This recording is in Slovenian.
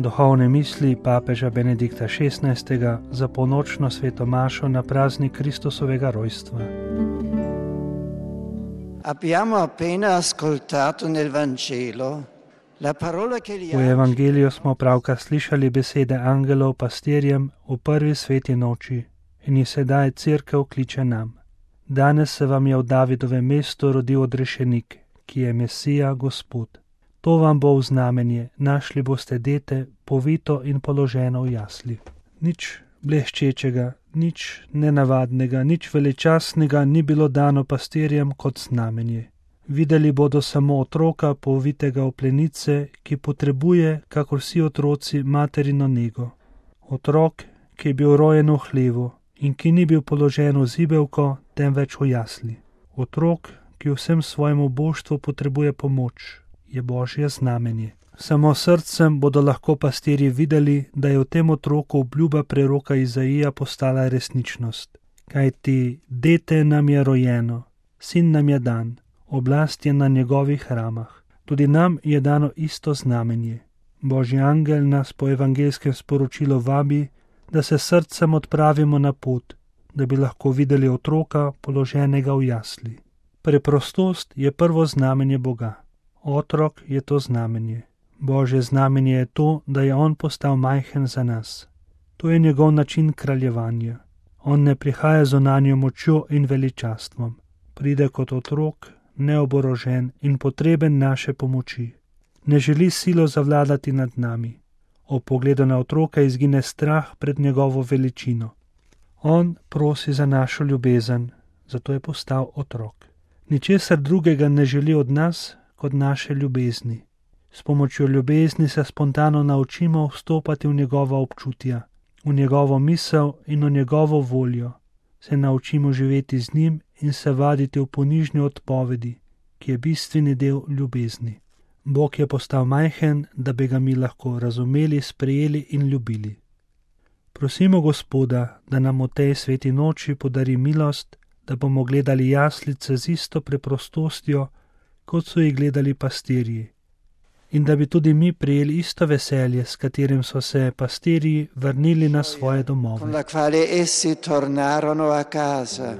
Duhovne misli papeža Benedikta XVI. Za polnočno sveto mašo na praznik Kristusovega rojstva. Abbiamo appena ascoltato nel Vangelo la parola che gli V evangeliju smo pravkar slišali besede angelov pastirjem v prvi sveti noči in jih sedaj cerkev kliče nam. Danes se vam je v Davidovem mestu rodil odrešenik, ki je Mesija Gospod. To vam bo v znamenje, našli boste dete, povito in položeno v jasli. Nič bleščečega, nič nenavadnega, nič veličastnega ni bilo dano pastirjem kot znamenje. Videli bodo samo otroka, povitega v plenice, ki potrebuje, kakor vsi otroci, materino nego. Otrok, ki je bil rojen v hlevu in ki ni bil položen v zibelko, temveč v jasli. Otrok, ki vsem svojemu božstvu potrebuje pomoč, je Božje znamenje. Samo srcem bodo lahko pastirji videli, da je v tem otroku obljuba preroka Izaija postala resničnost. Kajti dete nam je rojeno, sin nam je dan, oblast je na njegovih ramah. Tudi nam je dano isto znamenje. Božji angel nas po evangelskem sporočilu vabi, da se srcem odpravimo na pot, da bi lahko videli otroka položenega v jasli. Preprostost je prvo znamenje Boga. Otrok je to znamenje. Božje znamenje je to, da je on postal majhen za nas. To je njegov način kraljevanja. On ne prihaja z zunanjo močjo in veličastvom. Pride kot otrok, neoborožen in potreben naše pomoči. Ne želi silo zavladati nad nami. Ob pogledu na otroka izgine strah pred njegovo veličino. On prosi za našo ljubezen, zato je postal otrok. Ničesar drugega ne želi od nas kot naše ljubezni. S pomočjo ljubezni se spontano naučimo vstopati v njegova občutja, v njegovo misel in v njegovo voljo. Se naučimo živeti z njim in se vaditi v ponižni odpovedi, ki je bistveni del ljubezni. Bog je postal majhen, da bi ga mi lahko razumeli, sprejeli in ljubili. Prosimo Gospoda, da nam v tej sveti noči podari milost, da bomo gledali jaslice z isto preprostostjo, kot so jih gledali pastirji, in da bi tudi mi prijeli isto veselje, s katerim so se pastirji vrnili na svoje domove.